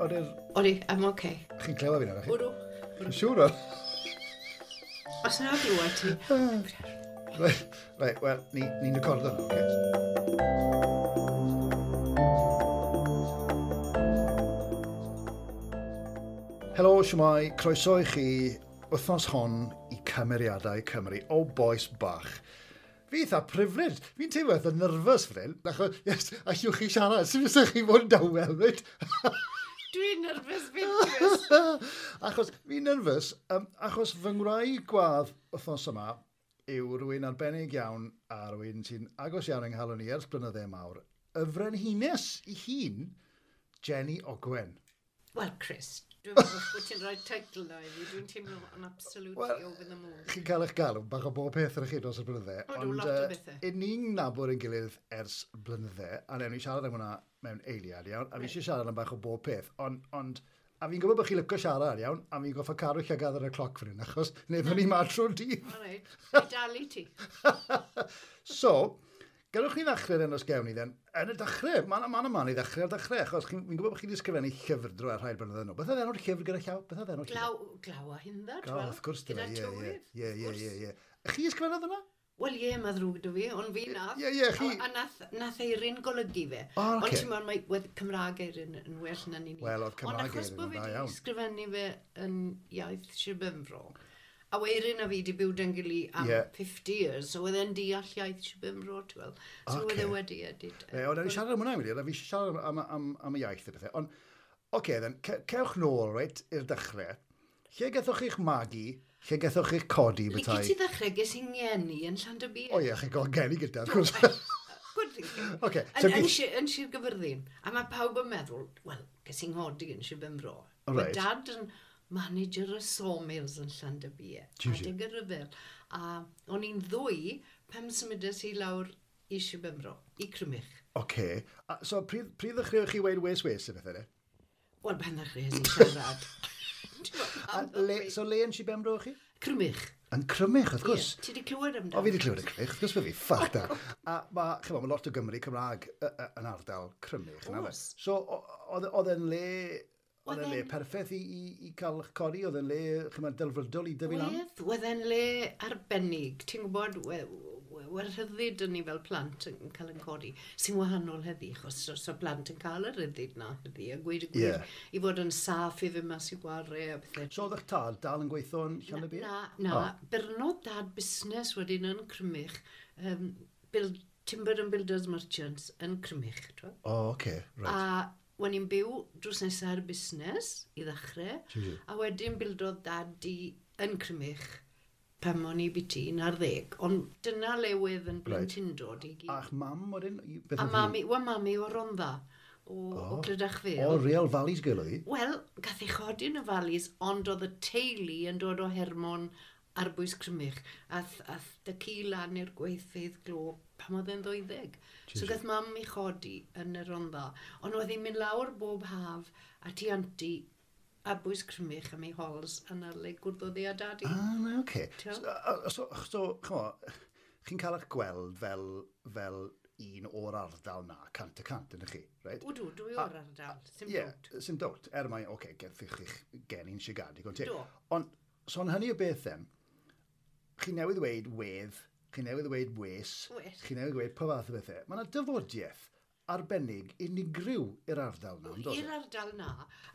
Oeddi'r... Odi, I'm okay. Chi'n clywed fi nawr, chi? Odw. Chi'n siŵr o? Os na glywed ti. Reit, wel, ni'n recordo nawr, oce? Helo, siwmai, croeso i chi wythnos hon i Cymeriadau Cymru. O, boes bach. Fi eitha privileged. Fi'n teimlo eitha nervous fan hyn, achos, yes, allwch chi siarad, sy'n fysa chi fod yn dawel, reit? Dwi'n nervous fi'n Chris. Achos fi'n nervous, achos fy ngwraig gwadd wythnos yma yw rhywun arbennig iawn a rhywun sy'n agos iawn yng nghalon i ers blynydde mawr. Y frenhines i hun, Jenny Ogwen. Wel, Chris, dwi'n meddwl bod ti'n rhoi teitl na i fi. Dwi'n teimlo yn absolutely Wel, over the moon. Chi'n cael eich galw bach o bob peth ar chi dros y blynydde. Odw, lot o bethe. Ond ni'n nabod ein gilydd ers blynydde, a newn ni siarad am hwnna mewn eiliad, iawn, a fi eisiau siarad am bach o bob peth, ond a fi'n gwybod bod chi'n licio siarad, iawn, a fi'n goffa cadw llygad ar y cloc fan hyn, achos neu fyny ma trwy'r dydd. All right, i dal i ti. So, gadewch ni ddechrau'r enw sgewn ni then. Yn y dechrau, mae'n man, man i ddechrau ar dechrau, achos fi'n gwybod bod chi wedi ysgrifennu llyfr drwy ar rhai blynyddoedd yn ôl. Beth oedd enw'r llyfr gyda llaw? Beth oedd enw'r llyfr? Glaw a hindda, Glaw, wrth gwrs, gyda dyna, ie, tywydd. ie, ie, ie, ie. Chi ysgrifennodd hwnna? Wel ie, mae ddrwg dy fi, ond fi nath. Ie, ie, chi- A nath Eirin golygu fe. O, Ond ocê. ti'n meddwl, mae wedd Cymraeg Eirin yn well na ni. Wel, oedd Cymraeg Ond achos Eirin bod yn fi dda wedi iawn. ysgrifennu fe yn iaith Sir Benfro, a Eirin a fi wedi byw dyn gili am 50 years, so oedd e'n deall iaith Sir Benfro, ti'n weld. So oedd Ocê. e wedi edit. E, ond ewn ni siarad am hwnna, wedi, a fi eisiau siarad am y iaith a bethau. Ond, oce, okay, then, cewch nôl, reit, i'r dechrau. Lle gathoch chi'ch magu? Lle gathoch chi'ch codi, Licio bethau? ti ddechrau, ges i'n ngeni yn Llandybie. O ie, chi'n gael geni gyda, wrth gwrs. Good thinking. Ocê, so Yn Sir Gyfyrddin. A mae pawb yn meddwl, wel, ges i'n nghodi yn Sir Benfro. O, Mae reit. dad yn manager y sawmills yn Llandybie. Jiw, jiw. Adeg y rhyfel. A o'n i'n ddwy pam symudes i lawr i Sir Benfro, i Crymych. Oce. A, so, pryd ddechreuoch chi weud wes wes y bethau, ne? Wel, pan ddechreuais i siarad. A le, so le yn Sir Benfro o'ch chi? Crymych. Yn Crymych, wrth gwrs. Ie, Ti wedi clywed amdano? O, fi wedi clywed y Crymych, wrth gwrs fe fi, ffac da. A mae, chymod, mae lot o Gymru Cymraeg yn ardal Crymych. na fe? Oes. So, oedd e'n le, oedd e'n Oedd le e'n- perffaith i cael eich codi, oedd e'n le, chymod, delfrydol i dyfu lan? Oedd e'n le arbennig. Ti'n gwybod, we'r rhyddid yn ni fel plant yn cael yn codi, sy'n wahanol heddi, achos os o plant yn cael y rhyddid na heddi, a gweud y gwir, i fod yn saff i fynd mas i gwarau a pethau. So, oedd eich tad dal yn gweithio yn Llanybie? Na, byrnodd dad busnes wedyn yn Crymych, Timber and Builders Merchants yn Crymych, twel. O, oce, reit. A wen i'n byw drws nesaf ar y busnes i ddechrau, Jiw, jiw. a wedyn bildodd dad i yn Crymych pan o'n i biti 11, ond dyna le wedd yn blentyndod i gyd. A'ch mam wedyn? Beth A oedd hi? mami, wel mami o Rondda, o Clydach Vale. O, real Valleys girl oedd hi? Wel, gath ei chodi yn y Valleys, ond oedd y teulu yn dod o Hermon ar bwys Crymych. Ath dy ci lan i'r gweithfeydd glo pan oedd e'n 12. So gath mam i chodi yn y Rondda. Ond oedd hi'n mynd lawr bob haf at ei anti a bwys Crymych am ei hols yna le gwrddodd hi a dadi. Ah, na, oce. T'wel? So, ch'mo, chi'n cael eich gweld fel un o'r ardal na, 100%, ydych chi, reit? Wdw, dwi o'r ardal, sim Ie, dowt. sim dowt. Er mai, oce, gethwch chi'ch geni'n Sigar, digon teg. Do. Ond, so yn hynny o beth then, chi newydd ddweud wedd, chi newydd ddweud wes, Wes. chi newydd ddweud pa fath o bethau. Mae yna dyfodiaeth arbennig unigryw i'r ardal na, yndos e? I'r ardal na,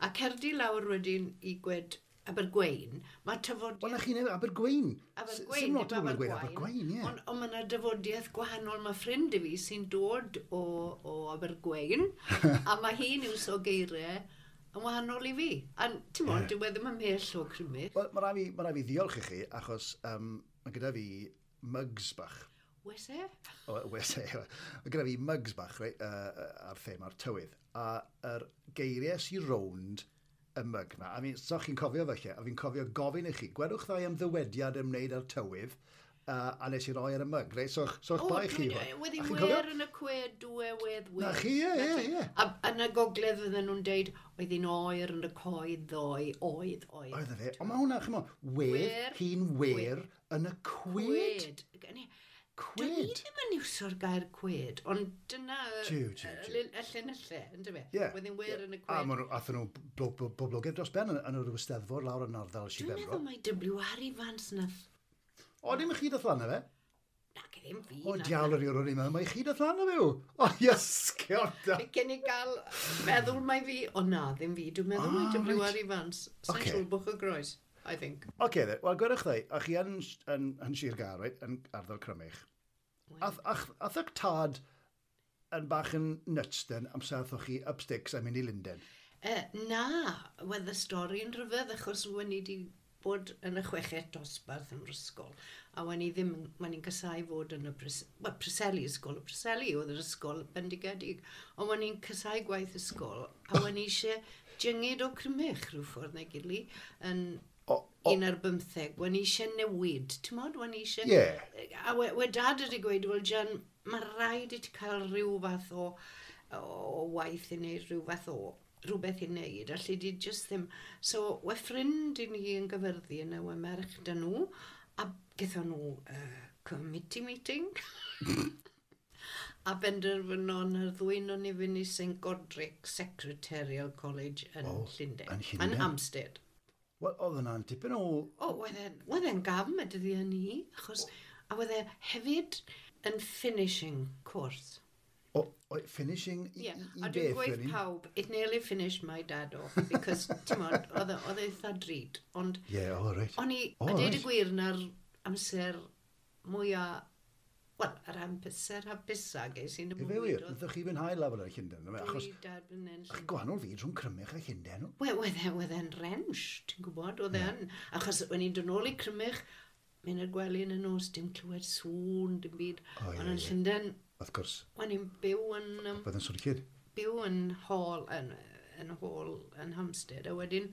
a cerdi lawr wedyn i gwed Abergwein, mae tyfodiaeth... Wel, na chi newydd, Abergwein. Abergwein, Sim lot o dim bobl yn gweud Abergwein, ie. Ond mae yna dyfodiaeth gwahanol. Mae ffrind i fi sy'n dod o Abergwein, a mae hi'n iwso geiriau yn wahanol i fi. A ti'n mwyn, dyw e ddim ymhell o Crymych. Wel, mae rai fi ddiolch i chi, achos mae gyda fi mugs bach. Wes e? O, wes e. Mae gyda fi mugs bach, reit, ar thema'r tywydd. A yr geiriau sy'n rownd y mug na. A fi, so chi'n cofio felly, a fi'n cofio gofyn i chi, gwedwch ddau am ddywediad ymwneud â'r tywydd, a nes i roi ar y mug, reit? So, so bai chi. Wedi A chi'n cofio? wer yn y cwed, dwe, wedd, wedd. Na chi, ie, ie, ie. A yn y gogledd fydden nhw'n deud, oedd hi'n oer yn y coed ddoe, oedd, oedd. Oedd e fe. Ond mae hwnna, ch'mo, wedd, Wer, hi'n wer yn y cwed. Cwed. Dwi Cwed? ddim yn iwsio'r gair cwed, ond dyna Jiw, jiw, jiw. y llinellau, yn dyfe? Ie. Wedyn wir yn y A cwed. ma' nhw, athyn nhw boblogaidd dros ben yn yr Eisteddfod lawr yn ardal Sir Dwi'n Benfro. meddwl mai W.R. Evans nath. O, dim chi dath lan na fe? Nac, ddim fi. O, nath. diawl yr o'n i'n meddwl, mae chi dath lan na fe yw. O, iasgion da. Fi Cyn i gael meddwl mai fi, o na, ddim fi, dwi'n meddwl mai Ah, W.R. reit. Evans. Sa'n Ocê. siŵr Bwch y Groes, I think. Oce, then. Wel, gwedwch ddau, a chi yn Sir Gâr, right, yn ardal Crymych. Ath eich tad yn bach yn nuts, then, amser aethoch chi up sticks a mynd i Lundain? Na, wedd y stori'n rhyfedd achos wen i wedi bod yn y chweched dosbarth yn yr ysgol a wen i ddim, wen i'n casau fod yn y well, Preseli, ysgol y Preseli oedd yr ysgol bendigedig, ond wen i'n casau gwaith ysgol a wen i eisiau jyngyd o Crymych rhyw ffordd neu gili yn O, o, 15, wen i eisiau newid, ti'n modd, wen i eisiau. Ie. A we dad wedi gweud, wel Jan, mae rhaid i ti cael rhyw fath o waith i wneud, rhyw fath o rhywbeth i wneud, allu di just ddim. So, we ffrind i ni yn Gyfyrddin, a we merch dyn nhw, a gaethon nhw committee meeting. A benderfynon yr ddwy o'n i fynd i St Godric Secretarial College yn O, Llundain. yn Llundain. Yn Hampstead. Wel, oedd yna'n tipyn o. O, oedd e'n gam y dyddiau ni, achos, a oedd e hefyd yn finishing course. O, finishing i, Yeah. i A dwi'n beth, gweud wedyn? pawb, it nearly finished my dad off, because, ti'n modd, oedd e eitha drud. Ond Ie, o, reit. o'n i, O, a deud y reit. gwir, na'r amser mwyaf, wel, yr amser hapusa ges i'n y Ife bywyd. wir, Oedd wnaethoch chi fwynhau lawr yn Llundain, yma, achos dwy dad yn enll. chi gwahanol fyd rhwng Crymych a Llundain. Wel, oedd e'n wrench, ti'n gwybod, oedd e'n. Achos when i'n dod nôl i Crymych, mynd i'r gwely yn y nos, dim clywed sŵn, dim byd. O, ie, Ond yn ie. Llundain, Wrth gwrs, o'n i'n byw yn, bydd yn swnllyd. byw yn hall, yn hall yn Hampstead, a wedyn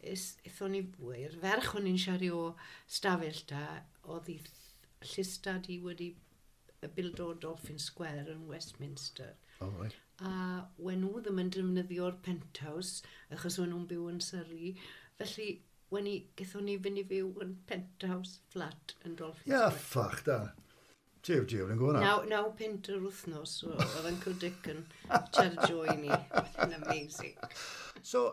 aethon ni i'r ferch o'n i'n siarad o stafell da, oedd hi llystad i wedi bildo Dolphin Square yn Westminster. O, reit. A wen nhw ddim yn defnyddio'r penthouse, achos wen nhw'n byw yn Surrey. Felly, wen i, gaethon ni fynd i fyw yn penthouse flat yn Dolphin Ie, Square. ffach da. Jiw, jiw, yn gwybod na. 9 punt yr wythnos, so oedd Uncle Dick yn charge i ni. Oedd yn amazing. So,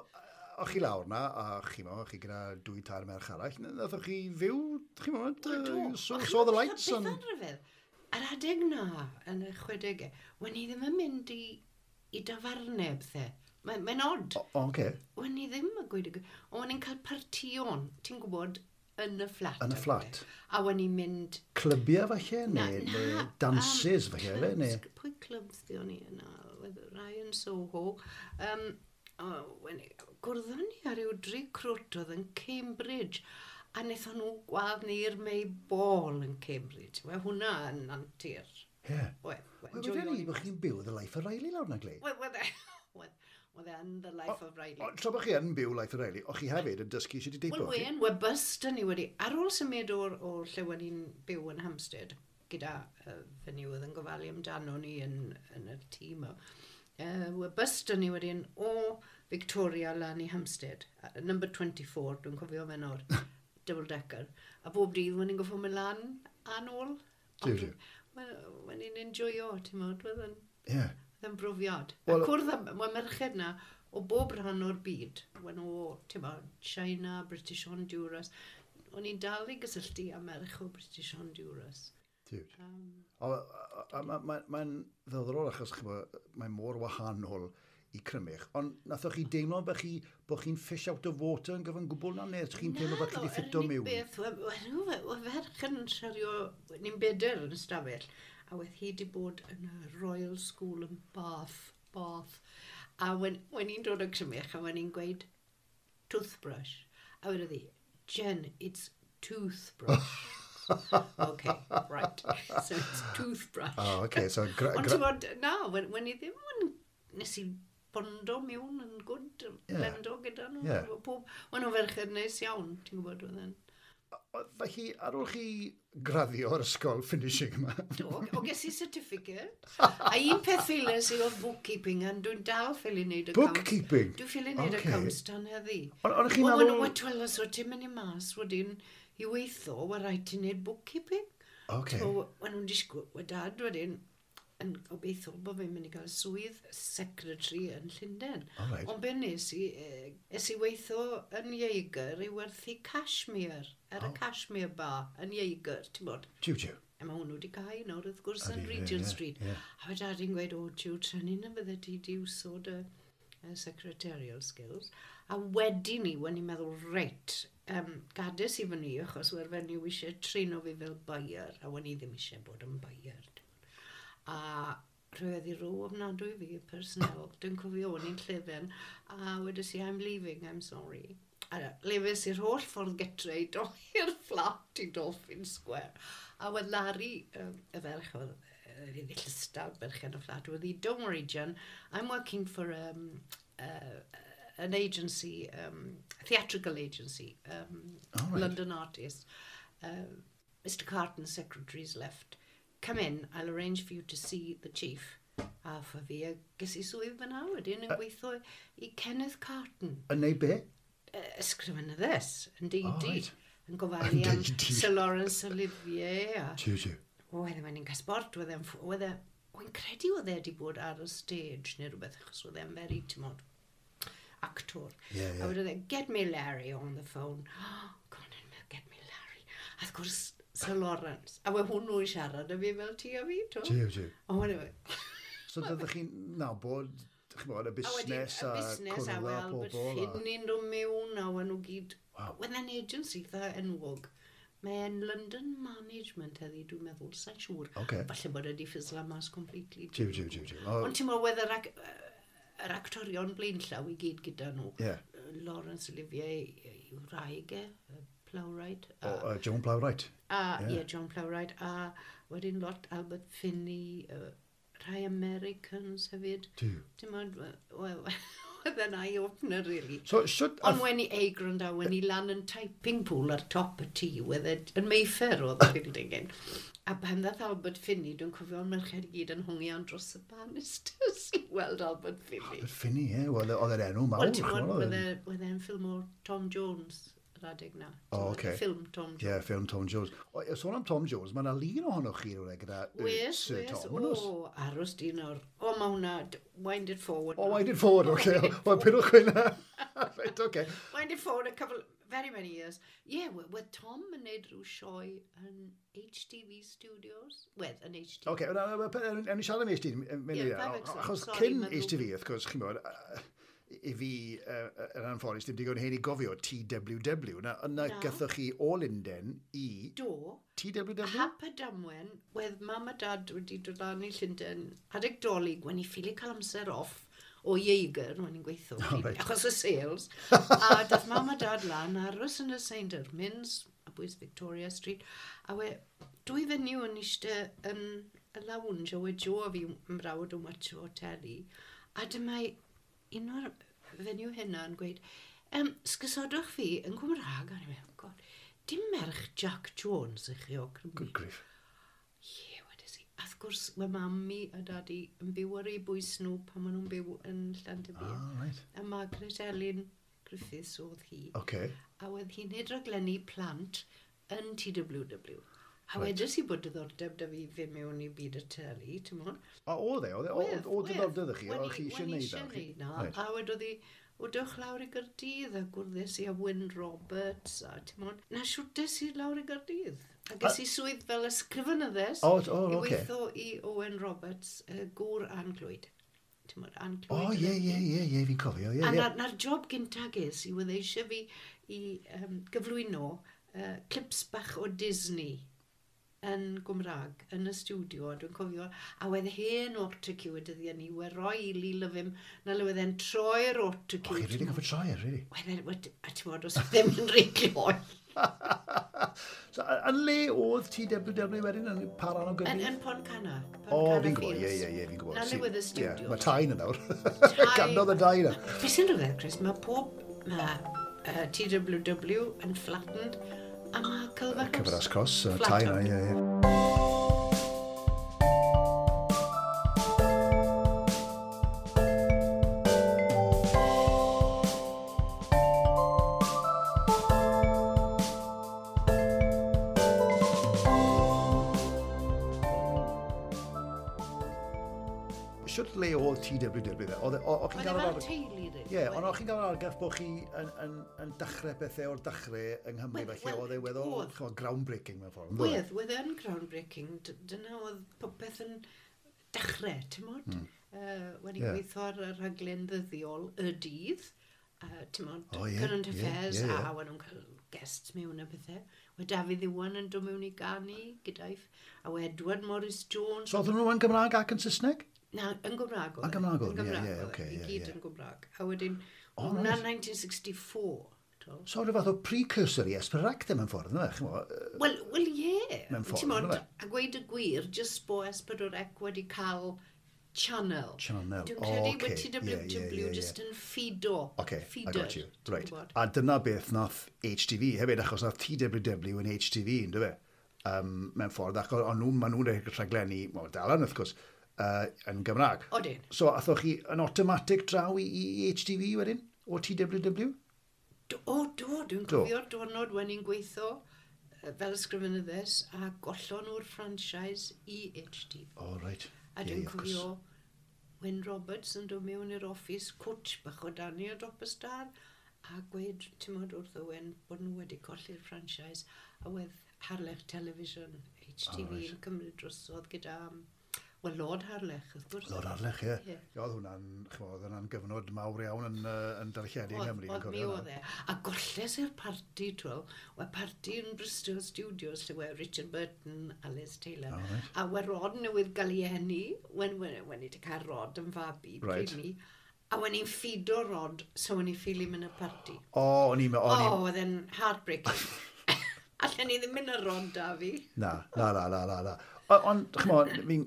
o'ch chi lawr na, a chi mo, chi gyda dwy tair merch arall, nathoch chi fyw, chi mo, Wel, do. so, A saw the ch'mod lights beth and. yn rhyfedd? Yr adeg na, yn y 60au, wen i ddim yn mynd i dafarnau bethau. Mae'n odd. O, oce. Wen i ddim yn gweud y gwir. Ond wen i'n cael partïon, ti'n gwybod, yn y fflat. Yn y a fflat. pethe. A wen i'n mynd. Clybiau falle, Na, neu, na, neu dances falle, fe, neu. Pwy clubs di o'n i yna? Oedd rai yn Soho. O, gwrddon ni ar ryw dri crwt oedd yn Cambridge. A wnaethon nhw gwadd ni i'r May Ball yn Cambridge. Wel, hwnna yn antur. Ie. Oedd, Wel, wedyn ni, bod chi'n byw the life of Riley lawr na, Glei. Wel, oedd e yn the life of Riley. O, tra bod chi yn byw life of Riley, o'ch chi hefyd yn dysgu sut i deipo? Wel, wen, we bus dyn ni wedi, ar ôl symud o'r lle wen ni'n byw yn Hampstead, gyda fenyw oedd yn gofalu amdano ni yn y tîm o, we bus dyn ni wedyn o Victoria lan i Hampstead, number 24, dwi'n cofio fe nawr, double decker. A bob dydd wen ni'n goffo mynd lan a nôl. Jiw, jiw. Wen ni'n enjoyo, ti'n modd, oedd yn Ie. oedd yn brofiad. Wel- A cwrdd â mae merched na o bob rhan o'r byd. Wen o, ti'n mo, China, British Honduras. O'n i'n dal i gysylltu â merch o British Honduras. Dude. O, a mae'n ddiddorol achos ch'mo, mae mor wahanol i Crymych, ond nathoch chi deimlo bod chi'n fish out of water yn gyfan gwbl na, neu chi'n teimlo bod chi wedi ffito Yr unig mewn? beth, we ferch yn siario, ni'n bedyr yn y stafell, a wedd hi wedi bod yn y Royal School yn Bath. A wen i'n dod o Crymych, a wen i'n gweud toothbrush, a wedodd hi, "Jen, it's toothbrush." Okay, right. So it's toothbrush. Oh, okay, so Ond ti'n bod, na, wen i ddim yn, nes i bondo mewn yn gwd, blendo gyda nhw. Pob, wen nhw'n ferched neis iawn, ti'n gwybod, oedd yn. Felly, ar ôl chi graddio o'r ysgol finishing yma, Do, o ges i certificate. A un peth ffeiles i oedd bookkeeping, a dwi'n dal ffili wneud accounts. Bookkeeping? Dwi'n ffili wneud accounts tan heddi. Ond chi'n Wel, meddwl. Wel, twel, os wyt ti'n mynd i mas wedyn i weithio, wel rhaid ti'n wneud bookkeeping. Okay. So, wen nhw'n disgwyl, we dad wedyn yn gobeithio bod fi'n mynd i gael swydd secretary yn Llundain. All right. Ond be nes i, es i weithio yn Jaeger i werthu cashmere, ar y cashmere bar yn Jaeger, ti'n bod. Jiw, jiw. A mae hwnnw wedi cau nawr, wrth gwrs, yn Ydi, ie, Regent ie, Street. ie. A fe dad i'n gweud, o, jiw, trynnu na fydde ti di wsod y secretarial skills. A wedyn ni, when i'n meddwl, reit, gades i fyny, achos we'r fenyw eisiau trino fi fel buyer, a wen i ddim eisiau bod yn buyer. A rhywedd i rhyw ofnadwy fi, y personnel, dwi'n cofio o'n i'n llefen, a wedes i, I'm leaving, I'm sorry. A lefes i'r holl ffordd getre i i'r fflat i Dolphin Square. A wedd Larry, y ferch oedd yy, llystal berchen y fflat, wedd hi, don't worry, Jen, I'm working for an agency, theatrical agency, Oh, right. London artist. Mr Carton, secretary's left. Come in, I'll arrange for you to see the chief. A ffa fi, a ges i swydd fyna wedyn yn gweithio i Kenneth Carton, Yn neud be? Ysgrifenyddes, yn deudi. Oh, reit. Yn gofalu Yn am deudi. Sir Laurence Olivier. A, Jiw, jiw. o, oedd e'n cael sport, oedd e'n... Oedd e, wy'n credu oedd e wedi bod ar y stage neu rhywbeth, achos oedd e'n very, ti'n mod, actor. Ie, ie. A wedodd e, get me Larry on the phone. Oh, go on in, get me Larry. A wrth gwrs, Sir Lawrence. A we hwnnw yn siarad â fi fel ti a fi, to. Jiw, jiw. O, anyway. So dydych chi'n nabod, chi'n bod, y A wedyn, busnes y a busnes a cwrdd â wel, bod pobl. a- Finney'n dod mewn a wen nhw gyd. Waw. Wedd e'n agency eitha enwog. Mae'n London Management heddi, dwi'n meddwl, sa'n siŵr. Ocê. Falle bod e wedi fizzlo mas completely. Jiw, jiw, jiw, jiw. O, Ond ti'n meddwl, wedd yr, yr actorion blaenllaw i gyd gyda nhw. Ie. Laurence Olivier, i'w wraig e, Plowright. o, Joan Plowright. A, Ie. ie, John Plowright. A wedyn lot Albert Finney, rhai Americans hefyd. Jiw. Dim ond, wel, oedd e'n eye-opener, really. So, shwt... Ond wen i ei gwrando, wen i lan yn typing pool ar top y tŷ, wedd e yn Mayfair oedd y building yn. A pan ddath Albert Finney, dwi'n cofio'r merched i gyd yn hongian dros y banisters i weld Albert Finney. Albert Finney, ie. Wel, oedd e'n enw mawr. Wel, ti'n ch'mod, gwybod, oedd e'n- wedd e'n ffilm o Tom Jones yr adeg na. O, Ti'n gwbod, ocê. Ffilm Tom Jones. Ie, ffilm Tom Jones. O, ie, sôn am Tom Jones, mae yna lun ohonoch chi rhywle gyda Wes, Sir wes, Tom, yn oes? o, aros di nawr. O, mae hwnna, wind it forward. O, wind it forward, oce. O, pidwch hynna. Reit, oce. Wind it forward a couple, very many years. Yeah, wedd Tom yn neud rhyw sioe yn HTV Studios. Wedd, yn HTV. Oce, na, na, ewn ni siarad am HTV. Ie, five X, Achos sorry, cyn ma'n ddrwg. HTV, wrth gwrs, chi'n bod, i fi, yn anffodus, dim digon hen i gofio TWW. Na, yna Na. gathoch chi o Lunden i Do, TWW? hap a damwen, wedd mam a dad wedi dod lan i Llundain adeg dolyg, wen i ffili cael amser off o Jaeger, wen i'n gweithio, Oh, reit. achos y sales. A dath mam a dad lan aros yn y St Ermins, a bwys Victoria Street, a we dwy fenyw yn eistedd yn y lounge, a we Jo a fi mrawd yn watcho teli, a dyma un o'r fenyw hynna yn gweud, sgysodwch fi yn Cymraeg, a ni'n meddwl, God, dim merch Jack Jones ych chi o Cymru. Good grief. Ie, wedes i. A wrth gwrs, mae mami a dadi yn byw ar eu bwys nhw pan maen nhw'n byw yn Llandybie. Ah, right. A Margaret Elin Griffiths oedd hi. Oce. A oedd hi'n neud raglenni plant yn TWW. A Reit. wedes i bod diddordeb da fi fynd mewn i byd y teli, ti'n mwyn? A oedd e? Oedd e? O diddordeb ydych chi? Oedd chi eisiau neud eisiau o? neud na. Reit. A wedodd hi, o dewch lawr i Gyrdydd a gwrddes i a Wyn Roberts a ti'n mwyn. Na siwtes i lawr i Gyrdydd. A ges i swydd fel ysgrifenyddes O, o, i oce. weithio i Owen Roberts, gŵr Ann Clwyd. Ti'n mwyn, Ann Clwyd. O, ie, ie, ie, ie, fi'n cofio, ie, A ie. na'r job gynta ges i oedd eisiau fi i gyflwyno clips bach o Disney yn Gymraeg, yn y studio, a dwi'n cofio, a wedd hen autocue y dyddiau ni, we roi i Lee Lyfim, na le wedd e'n troi'r O, autocue. chi'n rili gofio troi e, rili. Wedd e, a ti'n bod, os ddim yn rhy gloi. So, yn le oedd TWW wedyn yn pa ran o Yn, Gyrdydd? yn Pontcanna. O, Pontcanna fi'n gwybod, ie, Fields. ie, ie, fi'n gwybod. Na le wedd y studio. Mae tai na nawr. Ganodd y dau na. Be sy'n rhyfedd, Chris, mae pob, mae TWW yn flattened, a mae Culver Cross. Cyfras Cross, Flat tai na, out. ie, ie. Siwt le oedd TWW dde? Oedd o chi'n Oedd e gael yr fel teulu, rili. Ie, ond o'ch chi'n gael yr argraff bod chi yn dechrau pethau o'r dechrau yng Nghymru, felly oedd e weddol ch'mod, groundbreaking mewn ffordd. yndoedd e? Wedd, wedd yn groundbreaking. Dyna oedd popeth yn dechrau, ti'n mod? Wedi gweithio ar y rhaglen ddyddiol y dydd, ti'n mod, O, ie, current affairs, a wedyn nhw'n cael guests mewn a pethau. Wedd Dafydd Iwan yn dod mewn i ganu gyda'i, a wedd Edward Morris Jones. So oedden nhw yn Gymraeg ac yn Saesneg? Na, yn Gymraeg oedd Yn e. Gymraeg oedd Yn e, ie, Gymraeg ie, oedd e, ocê, i ie, gyd ie. yn Gymraeg. A wedyn, O, hwnna reit. 1964. t'wel. So rhyw fath o precursor i S4C mewn ffordd, yna, ch'mo'? Wel ie. Mewn ffordd, Ti'n mod, yndyfe? a gweud y gwir, jyst bo S4C wedi cael channel. Channel, Dwi'n credu o, bod ocê, ie, ie, TWW ie, ie. just yn ffido. Okay, I feeder, got you. ti'n Right. gwbod. A dyna beth nath HTV hefyd, achos nath TWW yn HTV, ynddo fe? Mewn ffordd, ac o'n nhw, maen nhw'n rhaglenni, wel, dal yn wrth gwrs, yn Gymraeg. Odyn. So, athoch chi yn automatic draw i HTV wedyn, o TWW? O, do, dwi'n Do. cofio'r diwrnod when i'n gweithio fel ysgrifenyddes a gollon nhw'r franchise i HTV. O, oh, right. A Ie, dwi'n ie, of course. cofio Wyn Roberts yn dod mewn i'r office, cwtch bach o Dani o dop y star, a gweud, ti'n modd wrth Owen, bod nhw wedi colli'r franchise, a wedd Harlech Television, HTV, O, reit. yn cymryd drosodd gyda, wel, Lord Harlech, wrth gwrs. Lord Harlech, ie. Ie. Ie, oedd hwnna'n, ch'mo', oedd hwnna'n gyfnod mawr iawn yn darlledu yng Nghymru. Oedd dwi'n mi cofio oedd e. A golles i'r parti, twel. Oedd parti yn Bristol Studios lle wedd Richard Burton, Alice Taylor. O, reit. A wedd Rod newydd gael ei eni, wen i wedi cael Rod yn fabi, Reit. pryd ni. A wen i'n ffido Rod, so wen i'n ffili mynd y parti. O, o'n i'n... O, o'n i'n- oedd e'n heartbreaking. Allen ni ddim mynd ar Rod da fi. Na, na, na, na, na, na. Ond, ch'mo, fi'n,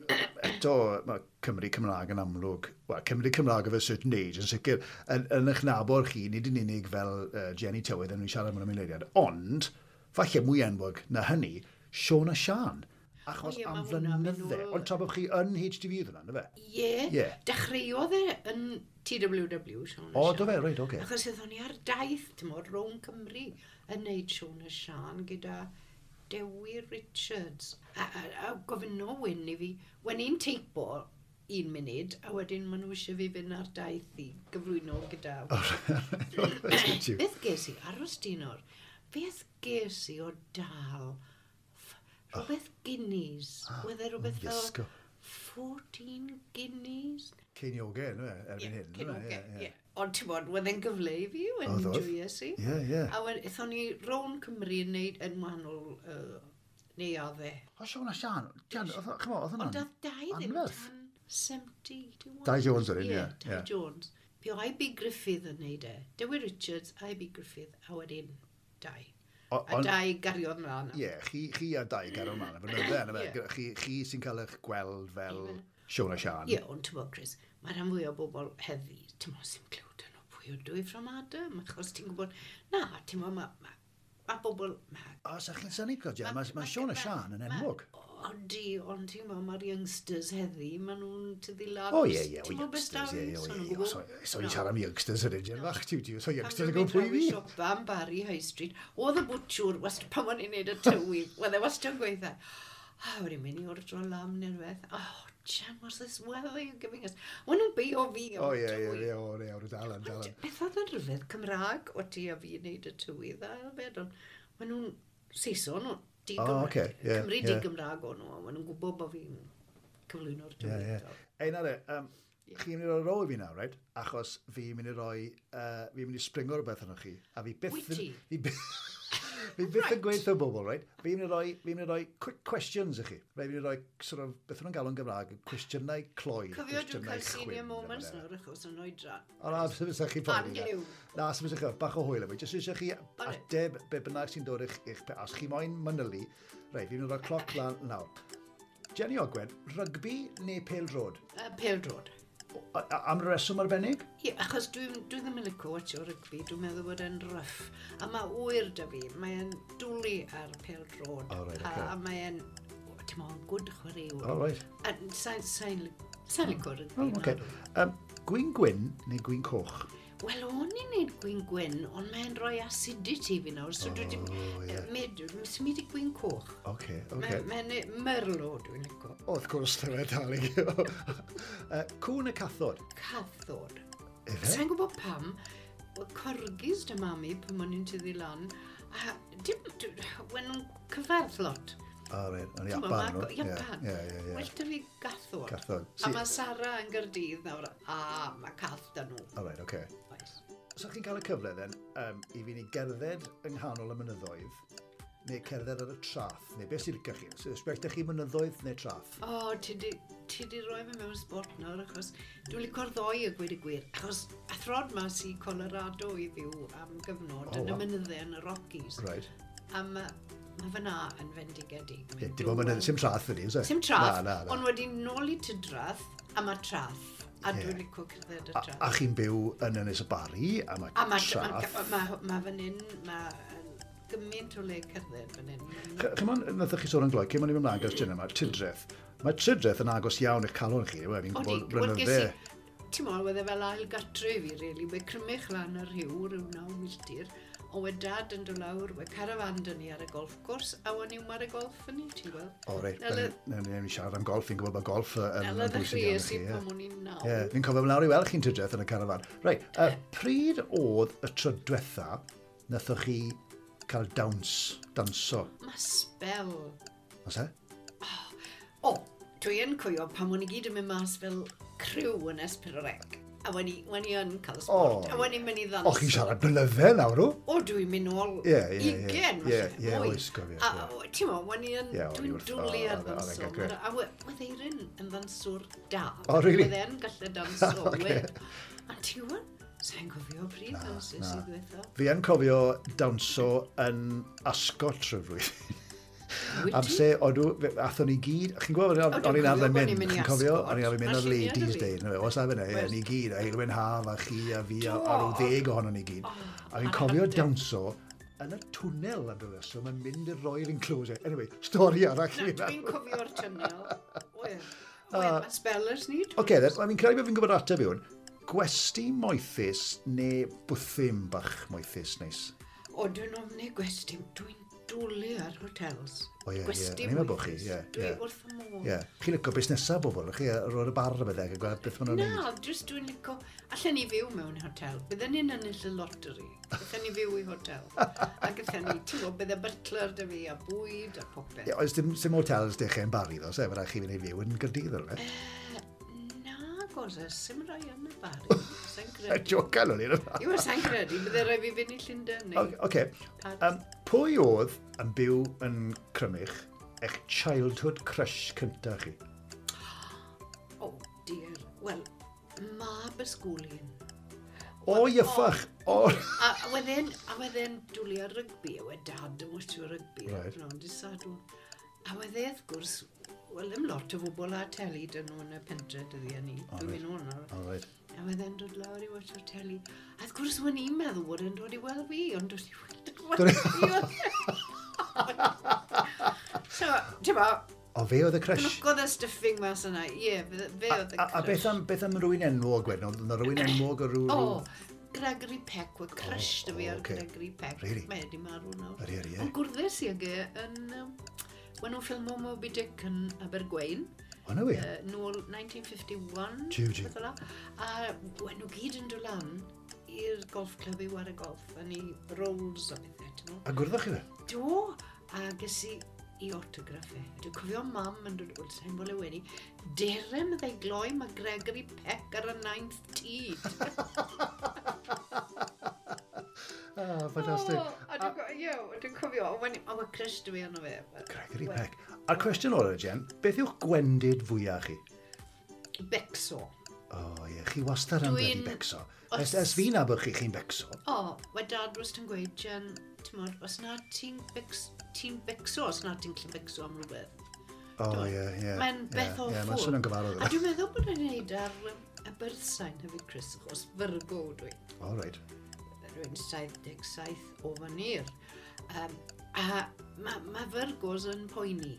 eto, mae Cymru Cymraeg yn amlwg, wel, Cymru Cymraeg of a certain age, yn sicr, yn eich nabod chi, nid yn unig fel Jenny Tywydd, yn ni'n siarad am ymwneud, ond, falle mwy enwog na hynny, Siôn a Sian. Achos O ie, am ma' hwnna'n mynd flynydde, nôl. ond tra bod chi yn HTV oedd hwnna, na fe? Ie, Ie. dechreuodd e yn TWW, Siôn a O, Siân. do fe, reit, oce. Achos oeddwn ni ar daith, ti'n modd, rownd Cymru yn neud Siôn a Siân gyda Dewi Richards. A gofynno Wyn i fi, wen i'n teipo un munud, a wedyn maen nhw eisiau fi fynd ar daith i gyflwyno gyda... Beth ges i? Aros di nawr. Beth ges i o dal? Rhywbeth guineas. Oedd e rhywbeth fel Iesgo. 14 guineas? Ceiniogau, ynddo fe, erbyn hyn. yndyfe? Cyn Ie, ie. Ond ti'n bod, wedd e'n gyfle i fi, wedd Oedd, oedd. enjoyes i. Ie, ie. A wedyn, aethon ni rown Cymru yn neud yn wahanol neuaddau. O, Siôn a Sian, Jan, ch'mo, oedd Ond hwnna'n oedd Dai ddim anferth. tan 70, Dai Jones oedd un, ie, Ie, Dai ie. Jones. Bu o I.B. Griffith yn neud e. Dewi Richards, I.B. Griffith, a wedyn Dai. A Dai gariodd mlaen. Ie, chi a Dai gario mlaen, y flynydde, yna fe. Ie. Chi sy'n cael eich gweld fel Siôn a Sian. Ie, ond ti'n bod, Chris, mae rhan fwy o bobl heddi, ti'n bod, sy'n clywed yn o pwy o dwy from Adam, achos ti'n gwybod, na, ti'n bod, ma bobl... Ma, O, sa chi'n synnu, Claudia, mae Siôn a Sian yn enwog. Odi, ond ti'n gwybod, mae'r youngsters heddi, maen nhw'n tyfu lan. O, ie, ie, o Ti'n gwybod beth youngsters, ie, ie, so o, nhw'n ie, gwbod. o, So i'n siarad am youngsters yn un, fach, tiw, tiw, so youngsters yn Pan gwybod pwy dwi'n fi. mynd siopa am Barry High Street, oedd y bwtshwr, wast, pan o'n i'n neud y tywydd, oedd e wastad yn gweithio. A wedi mynd i ordro lam neu rhywbeth. Oh, Jan, what's this weather you're giving us? Maen nhw'n beio fi am O, y ie, ie, tywydd. ie, o, ie, o, dal yn, dal yn. Beth oedd yn rhyfedd Cymraeg o ti a fi yn neud y tywydd a hefyd, ond maen nhw'n Saeson, o, di O, Gymra- ocê, ie, Cymru ie. di Gymraeg o'n nhw, a maen nhw'n gwybod bod fi'n cyflwyno'r Ie, tywydd. ie. Ei, na re, chi'n mynd i roi rôl i fi nawr, right? Achos fi'n mynd i roi, fi'n mynd i springo rhywbeth arnoch chi. A fi byth... Wyt ti? Fi byth, fi byth yn gweithio bobl, right? Fi'n mynd i roi, fi'n mynd i roi quick questions i chi. Right, fi'n mynd i roi, sort of, beth nhw'n galw yn Gymraeg, cwestiynau cloi. Cofio dwi'n cwestiynau cael senior chwim, moments neu whatever. nawr achos yn oedran. O na, sy'n fysa chi poeni. na. Angliw. Na, sy'n fysa chi, bach o hwyl am i. Jyst eisiau chi ateb be bynnag sy'n dod i'ch os chi moyn manylu, reit, fi'n mynd i roi cloc lan nawr. Jenny Ogwen, rygbi neu pêl-droed? Pêl-droed. Am reswm arbennig? Ie, achos dwi ddim yn licio watcho rygbi, dwi'n meddwl bod e'n rough. A mae ŵyr da fi, mae'n dwlu ar pêl-droed. O, reit, A, ocê. a mae'n, ti'n meddwl, good chwaraewr. O, reit. A sa'n licio rygbi. O, oce. nadw. Gwin gwyn neu gwin coch? Wel, o'n i'n neud gwin gwyn, ond mae'n rhoi acidity fi nawr, so dwi wedi... O, ie. Symud i gwin coch. Oce, oce. Mae'n merlot dwi'n licio. O, wrth gwrs, dyma dal i. Cwn y cathod? Cathod. Efe? Sa'n gwybod pam, wel, corgis dy mami pan o'n i'n tyfu lan, a dim, wen nhw'n cyfarth lot. O, reit, o'n Ti'n gwbod, Japan nhw. Japan. Ie, ie, ie. Well da fi gathod. Cathod. A mae Sara yn Gyrdydd nawr, a mae cath da nhw. O, reit, oce. Oes. So chi'n cael y cyfle, then, i fi ni gerdded yng nghanol y mynyddoedd, neu cerdded ar y trath, neu beth sy'n licio chi? So, ysbryd chi mynyddoedd neu trath? O, ti di roi fi mewn spot nawr, achos dwi'n licio'r ddoi a gweud y gwir. Achos athrod mas i Colorado i fyw am gyfnod O, yn y waw. mynyddau yn y Rockies. Right. A mae ma fyna yn fendigedig. Ie, Mae'n dim ond mynydd, dywel. sim trath ydi, oes e? Sim trath, Na, na, na. ond wedi nôl i Tydrath, a mae trath. A Ie. dwi'n licio cerdded y A, trath. a chi'n byw yn Ynys y Barri, a mae A mae trath. ma fan hyn, mae gymaint o le cerdded fan hyn. Chymon, nathoch chi sôn yn gloi, cyn o'n i'n mynd mlaen gyda'r chin yma, Tidreth. Mae Tidreth yn agos iawn i'ch calon chi, yw e? Fi'n Odi, gwybod wel, ges blynydde. i, ti'n meddwl, wedd e fel ail gartre i fi, really. We Crymych lan yr rhyw, rhyw 9 milltir, ond we dad yn dod lawr, we carafan dyn ni ar y golf course, a wen i'n ar y golf yn ni, ti'n gweld. O, reit, Nela- newn ni siarad am golf, fi'n gwybod bod golf yn Nela yn bwysig iawn i ddechreuais chi. i Ie. pan o'n i'n 9. Ie, fi'n cofio lawr i weld chi'n Tidreth yn y carafan. Reit, pryd oedd y tro diwetha nathoch chi cael dawns, danso? Mae spel. Oes e? O, dwi yn cwyio pan o'n i gyd yn mynd mas fel criw yn S4C. A wen i yn cael sport. O, A wen i'n mynd i ddans. O, chi'n siarad blynydde nawr, o? O, dwi'n mynd nôl Ie, ie, ie. 20, Ie, falle, ie, mwy. oes, gofio, A, ie. o, ti'n mo, wen i yn, Ie, o'n i dwi'n wrth- dwlu o, ar oedd e- oedd e'n ddanso. grêt. A wedd Eirin yn ddanswr da. O, really? Wedd e'n gallu danso, Ocê. wedd. A ti'n gwybod, sa'n cofio pryd dansus na. i ddwetha. Fi yn cofio dawnso yn Ascot trwy flwyddyn. Wyt ti? Amser, odw, athon ni gyd, chi'n gwybod, O, o'n dwi'n i'n arfer cofio bod mynd, ni'n mynd i chi'n cofio, Ascot. o'n i'n arfer mynd Ma' ar lluniau 'da Ladies fi. Day, no, oes afyn e, Wes. ni gyd, a Heulwen Haf, a chi, a fi, a, a Do. rhyw 10 ohonon ni gyd. A fi'n ar cofio adeg. dawnso yn y twnnel am ryw reswm yn mynd i'r Royal Enclosure. Anyway, stori arall Na, i fi. dwi'n cofio'r tunnel. Wedd. Wedd, mae spellers ni. Oce, then, fi'n credu bod fi'n gwybod ateb i hwn. Gwesti moethus neu bwthyn bach moethus neis? O, dwi'n ofni gwesti. Dwi'n dwlu ar hotels. O, ie, ie. Gwesti O'n i'n meddwl bod chi, moethus. ie, Dwi ie. wrth y modd. Ie. Yeah. Chi'n licio busnesau bobl, chi ar ôl y bar a bethau, a gweld beth maen nhw'n neud. Na, jyst dwi'n licio... Allen ni fyw mewn hotel. Bydden ni'n ennill y lottery. Bydden ni fyw i hotel. A gyda ni, ti'n gwybod, bydde butler da fi a bwyd a popeth. Ie, oes dim hotels dechrau yn Barry, ddo, se? Mae rhaid chi fynd i fyw yn Gyrdydd, o'r fe. Na, gosau, sim rai yn y Bari. Sa'n credu. Jocan o'n i'n yma. Iw, sa'n credu, bydde rai fi fynd i Llundain neu... Oce. Paris. Pwy oedd yn byw yn Crymych eich childhood crush cyntaf chi? Oh, dear. Wel, mab ysgolyn. O, iffach! O! A wedyn dwlu ar rygbi, a wedd dad yn watcho rygbi. Right. No, dydd Sadwrn. A wedd e, wrth gwrs, wel, ddim lot o bobl a teli dyn nhw yn y pentre dyddiau ni. Dwi'n mynd o'n nawr. All right. A wedd e'n dod lawr i watcho'r teli. A wrth gwrs, o'n i'n meddwl bod e'n dod i weld fi, ond dod i weld fi. So, ti'n bo, O, fe oedd y crush. glwcodd y stuffing mas yna. Ie, fe oedd y A, a beth am, beth am rwy'n enwog wedyn? Oedd yna rwy'n enwog o rhyw... O, Gregory Peck, wedd crush da fi o, ar ocê. Gregory Peck. Really? Mae wedi marw nawr. Ydi, ydi, ie. Ond gwrddus i ag e yn... Wen nhw'n ffilmo Moby Dick yn Abergwein, O, na wir? nôl 1951. Jiw, jiw. beth fel 'na. A wen nhw gyd yn dod lan i'r golf club i ware golf, a ni rolls a bethau, ti'n gwbod. A gwrddoch chi fe? Do, a ges i i autograffu. Dwi'n cofio mam yn dod, wel, sa'n bod le wedi, derem ddau gloi mae Gregory Peck ar y ninth tee. Ah, ffantastig. O, a dwi'n ie, dwi'n cofio, o, mae crush dwi arno fe. Gregory Peck. A'r cwestiwn o'r Jen, beth yw'ch gwendid fwyaf chi? Becso. O, ie, chi wastad yn bloody becso. Ers fi nabod chi, chi'n becso. O, mae dad wastad yn gweud, Jen, ti'n os na ti'n becso, os na ti'n gallu becso am rhywbeth. O, ie, ie. Mae'n beth Ie, awful. mae'n swnio'n gyfarwydd. A dwi'n meddwl bod e'n neud ar y birth sign hefyd, Chris, achos Virgo dwi. O, reit. Rwy'n 77 o fynyr. A mae Virgos yn poeni,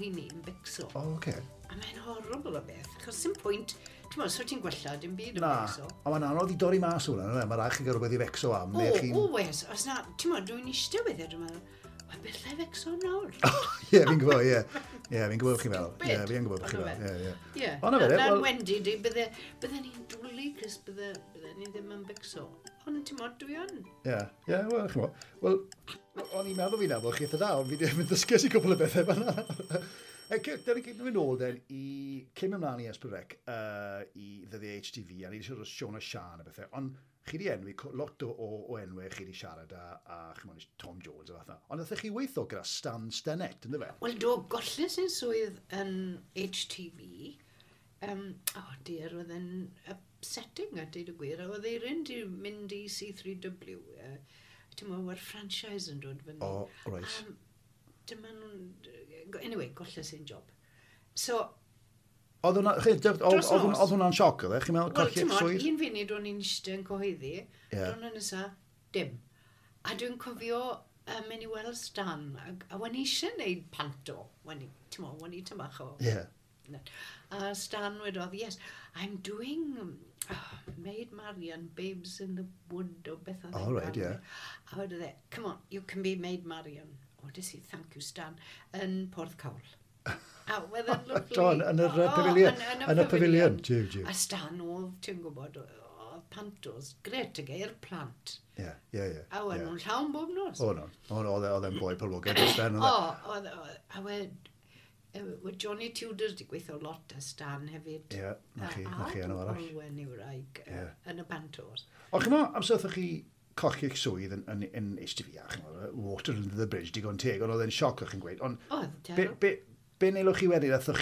yn becso. O, oce. A mae'n horrible o beth, achos sim pwynt, ti'n meddwl, so ti'n gwella dim byd yn Na, becso. a mae'n anodd i dorri mas hwnna, yna, mae rhaid chi gael rhywbeth i fecso am, O, neu chi'n... o, wes, os na, ti'n meddwl, dwi'n eistedd weithiau, dwi'n meddwl, mae bethau fecso nawr. Ie, fi'n gwybod, ie. Ie, fi'n gwybod chi'n fel. Ie, fi'n gwybod chi'n fel. Ie, ie. Ie. Ond na fe, Wendy, di, bydde ni'n dwlu, Chris, bydde ni ddim yn becso. Ond ti'n modd, dwi yn. Ie, ie, wel, chi'n modd. Wel, o'n i'n meddwl fi'n nabod chi eitha da, ond fi ddim yn ddysgu i cwpl o bethau fan'na. Dyna ni mynd ôl den i cyn ymlaen i S4C, i ddyddiau HTV, a ni wedi siarad o Siôn a Sian a bethau, ond chi wedi enwi lot o enwau chi wedi siarad a chymod, Tom Jones a fath 'na. Ond nath chi weithio gyda Stan Stennett, ynddo fe? Wel do, golles i'n swydd yn HTV. Oh dear, oedd e'n upsetting a deud y gwir. A oedd eirin di mynd i C3W. Ti'n meddwl, mae'r franchise yn dod fyny. Oh, right. Dyma nhw'n. Anyway, golles i'n job. So, Oedd hwnna'n sioc, oedd e? Chi'n meddwl colli'ch swydd? Wel, un funud o'n i'n eistedd yn cyhoeddi, yeah. Dwi'n nesa, dim. A dwi'n cofio mynd i weld Stan, a wen i eisiau gwneud panto, wen i, ti'n mo, wen i tymach o. Yeah. A Stan wedodd, "Yes, I'm doing Maid Marian, Babes in the Wood," o beth oedd. Oh, right, yeah. A wedodd e, "Come on, you can be Maid Marian." O, des i, "Thank you, Stan," yn Porthcawl. A wedd yn lovely. Do, yn yr pavilion. Yn y pavilion. Jiw, jiw. A Stan oedd, ti'n gwybod, oedd pantos, gret y geir plant. Ie, ie, ie. A oedd nhw'n llawn bob nos. O, no. O, no, oedd e'n boi poblogaidd dros ben. O, oedd, a wed, Johnny Tudor di gweithio lot â Stan hefyd. Ie, na chi enw arall. Olwen i'w wraig yn y pantos. O, chi'n meddwl, amser wrthoch chi colli'ch swydd yn HTV, a chi'n meddwl, water under the bridge, digon teg, ond oedd e'n sioc o'ch chi'n gweud. Ond, Oedd, be nelwch chi wedyn? Athoch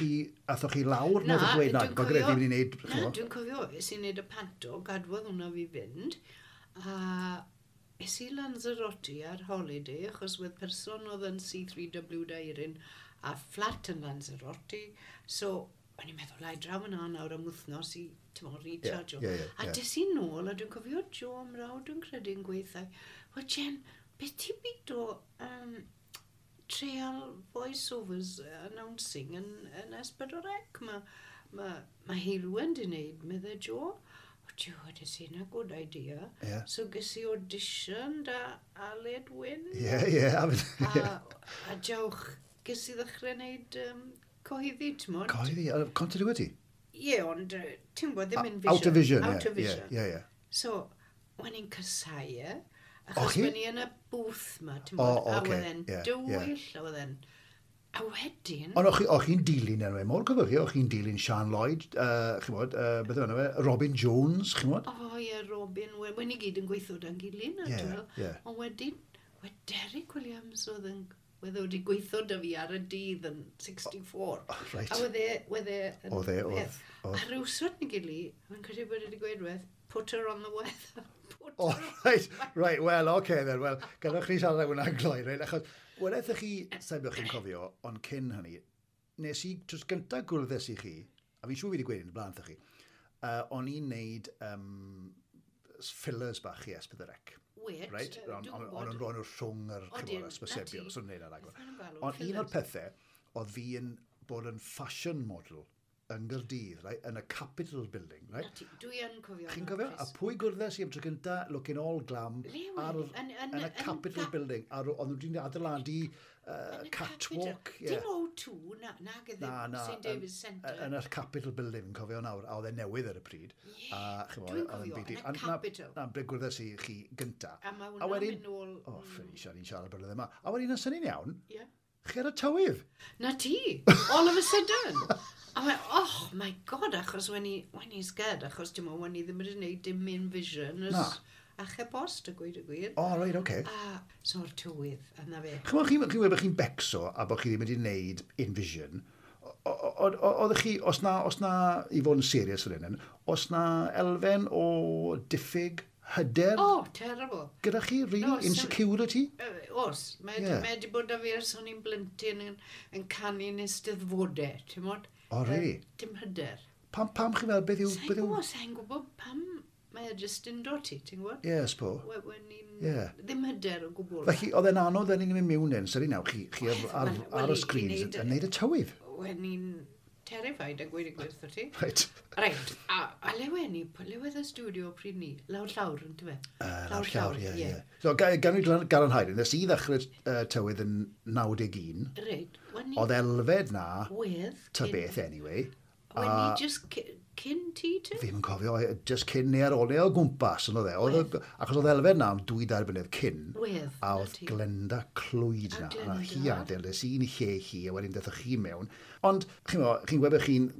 chi lawr? Na, Nathoch chi weud, na, dwi'n mae gyda fi mynd i wneud. Na, dwi'n cofio, es i wneud y panto, gadwodd hwnna fi fynd, a es i Lanzarote ar holiday, achos wedd person oedd yn C3W Dairin a fflat yn Lanzarote, so o'n i'n meddwl, ai draw yna nawr am wythnos i, ti'n mo, recharge. Ie, ie, ie, A des i nôl, a dwi'n cofio Joe Mrawd, dwi'n credu yn gweithio, "Wel Jen, beth ti'n byd o trial voiceovers announcing yn S4C? Mae Heulwen di wneud," meddai Joe. "O, Joe, des i, na good idea." So ges i audition da Aled Wyn. Ie, ie. A jawch, ges i ddechrau wneud cyhoeddi, ti'n modd? Cyhoeddi, continuity? Ie, ond ti'n gwybod, ddim in vision. Out of vision, ie. Out of vision. Ie. So, wen i'n casau e, achos chi? wen i yn y booth ma, ti'n gwybod, a wedd e'n dywyll, a wedd e'n. A wedyn, Ond o'ch chi'n dilyn enwau mawr, cofiwch chi, o'ch chi'n dilyn Sian Lloyd, chi'n bod, beth yw enw fe, Robin Jones, chi'n bod? O ie, Robin, wen i gyd yn gweithio da'n gilydd, na, ti'n meddwl. Ond wedyn, wedd Derek Williams oedd yn, wedd o wedi gweithio da fi ar y dydd yn 64. Oh, reit. A wedd e yn Oedd e, oedd, peth. oedd. A rhywsut ni gili, fi'n credu bod e wedi gweud rhywbeth, "Put her on the weather." Put O, her on right, well, oce okay then, well, gadewch chi siarad am hwnna'n gloi, reit, achos, wedeth chi, sa'n bod chi'n cofio, ond cyn hynny, nes i, tros gyntaf gwrddes i chi, a fi'n siŵr fi wedi gweud yn y blaen wrthoch chi, o'n i'n neud fillers bach i S4C. Wait, Right? dwi'n Ond gwybod. yn rhoi nhw rhwng yr Odyn, chimod, na ysbysebion, ti. so nhw'n neud ar agor. Beth maen nhw'n galw, Ond un o'r fillers? pethau, oedd fi yn bod yn fashion model yng Nghaerdydd, right? Yn y Capitol Building, Na right? ti, dwi yn cofio. Chi'n hwnna, cofio? A Chris. pwy gwrddes i am tro gynta, looking all glam, Le wedd? ar, yn y Capitol Building. Ar, ond nhw wedi adeiladu Yn y catwalk. Capitol. Dim O2, na gyda Na, na. St David's Centre. Yn y Capitol Building, fi'n cofio nawr, a oedd e newydd ar y pryd. Ie, A, chimod, dwi'n oedd e'n cofio, big deal. yn y A na- Capitol. Na, ble gwrddes i chi gynta. A mae A hwnna'n wedyn- mynd nôl. O, Felicia, ni'n siarad blynedd yma. A wedyn, yn syni'n iawn, Ie. chi ar y tywydd. Na ti, all of a sudden. A mae, oh my God, achos when i scared, achos dim ond when i ddim wedi gwneud dim in vision, Na. ers achub post, a gweud y gwir. O, reit, oce. A so'r tywydd, a na fe. Chymod, chi'n chi bod chi'n becso a bod chi ddim wedi gwneud Envision. Oeddech chi, os na, i fod yn serious fan hyn, os na elfen o diffyg hyder Oh, terrible. gyda chi, really? No, Insecurity? Os, mae Ie. yeah. Mae wedi bod â fi ers o'n i'n blentyn yn canu'n eisteddfodau, ti'n mod? O, really? Dim hyder. Pam chi'n meddwl, beth yw? Sa'n Beth yw? gwybod, sa'n gwybod pam mae e jyst yn dod ti, ti'n gwybod? Ie, spo. Wen i'n Ie. Ddim hyder o gwbl. Felly, oedd e'n anodd yn i'n mynd mewn yn, sori nawr, chi ar, Wel, ar, wel, ar y i screens wneud yn neud y tywydd. Wen i'n terrified a gweud y gwir wrth ti. Right. Right, a le wen ni, le wedd y studio pryd ni? Lawr llawr, yn dwi? Lawr llawr, ie, ie. So, gan i gadarnhau, nes i ddechrau tywydd yn 91. Reit. Oedd Elfed na, wedd, ta beth anyway. Wen ni just cyn ti te? Fi'm yn cofio, just cyn neu ar ôl neu o gwmpas, yn oedd e. Achos oedd Elfed na am 2-3 blynedd cyn. Wedd. A oedd Glenda Clwyd na. A hi adael, nes i'n lle hi, a wedyn dethwch chi mewn. Ond, chi'n chi'n gwybod bod chi'n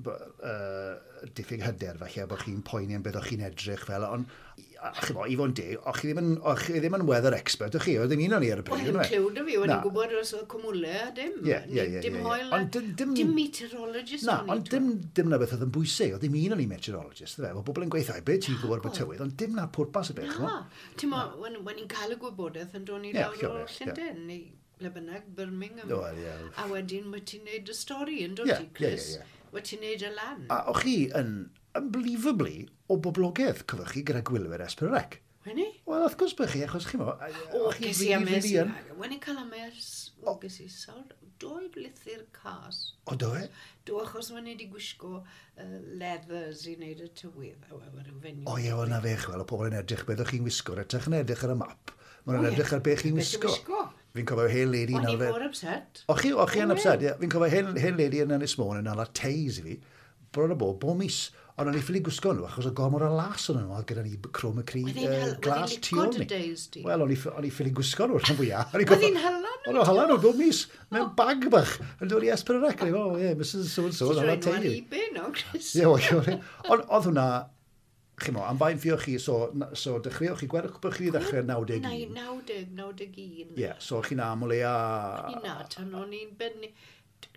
diffyg hyder falle, bod chi'n poeni am beth o'ch chi'n edrych fel, ond chi'n i fod yn deg, o'ch chi ddim yn weather expert, o'ch chi, oedd ddim un o'n i ar y bryd. Wel, ddim cliw da fi, o'n i'n gwybod os oedd cwmwle a dim. Ie. Dim hoel, dim meteorologist. Na, ond dim na beth oedd yn bwysig, oedd ddim un o'n i meteorologist, fe. Mae bobl yn gweithio, beth ti'n gwybod bod tywydd, ond dim na'r pwrpas y beth. Na, ti'n mo, when i'n cael y gwybodaeth yn dod i lawr o Llundain, neu ble bynnag, Birmingham. A wedyn, wyt ti'n neud y stori yn dod ti, Chris. Wyt ti'n neud y lan. A o'ch chi yn unbelievably o boblogaidd, cyfwch chi, gyda gwylwyr S4C. Weni? Wel, wrth gwrs bod chi, achos chi mo... O, ges i ames. Wen i'n cael ames, o, ges i sawr, doi lythyr cas. O, do e? Do, achos wen i wedi gwisgo leathers i wneud y tywydd. O, ie, wel, na fe, chwel, o pobl yn edrych beth o'ch chi'n wisgo, edrych yn edrych ar y map. Maen nhw'n edrych ar beth chi'n wisgo. Fi'n cofio hen lady... O'n i mor upset. O, chi yn upset, ie. Fi'n cofio hen lady yn Ynys Môn yn ala teis i fi, bron o bob mis. Ond o'n i ffili gwisgo nhw, achos o gormod o las o'n nhw, oedd gyda ni chroma cri glas tu ôl ni. Wel, o'n i ffili gwisgo nhw rhan fwyaf. Oedd hi'n hala nhw? O'n nhw'n hala nhw bob mis, mewn bag bach, yn dod i S4C. O, ie, Mrs So-and-so, yn hala teulu. Ti'n rhoi nhw ar eBay no, Chris? Ie, ond oedd hwnna, chi'n mo, am faint ffioch chi, so dechreuoch chi, gwerth bod chi ddechrau 91? 90, 91. Ie, so chi'n aml e a... O'n i'n na, tan o'n i'n bennu...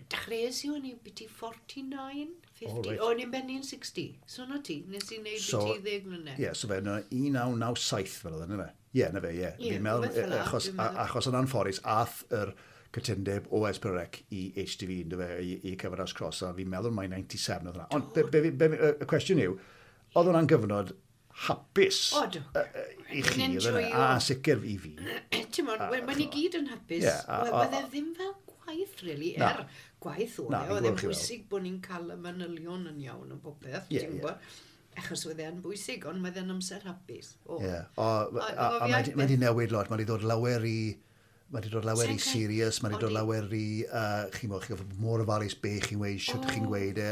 Dechreuais i o'n i'n biti 49, 50, o'n i'n bennu'n 60. So na ti, nes i wneud biti 10 mlynedd. Ie, so fe, 1997 fel oedd yna fe. Ie, na fe, ie. Fi'n meddwl, achos yn anffodus, ath yr cytundeb o S4C i HTV, ynddo fe, i Cyfres Cross, a fi'n meddwl mai 97 oedd hwnna. Ond y cwestiwn yw, oedd hwnna'n gyfnod hapus i chi, a sicr i fi. Ti'n modd, when i gyd yn hapus, oedd e ddim fel gwaith, really, gwaith oedd e, oedd e'n bwysig bod ni'n cael y manylion yn iawn o bopeth, ti'n gwybod? Achos oedd e'n bwysig, ond oedd e'n amser hapus. Ie, a mae wedi newid lot, mae wedi dod lawer i... Mae wedi dod lawer i serious, mae wedi dod lawer i... Chi'n gwybod, chi'n gwybod mor ofalus be chi'n gweud, shwt chi'n gweud e,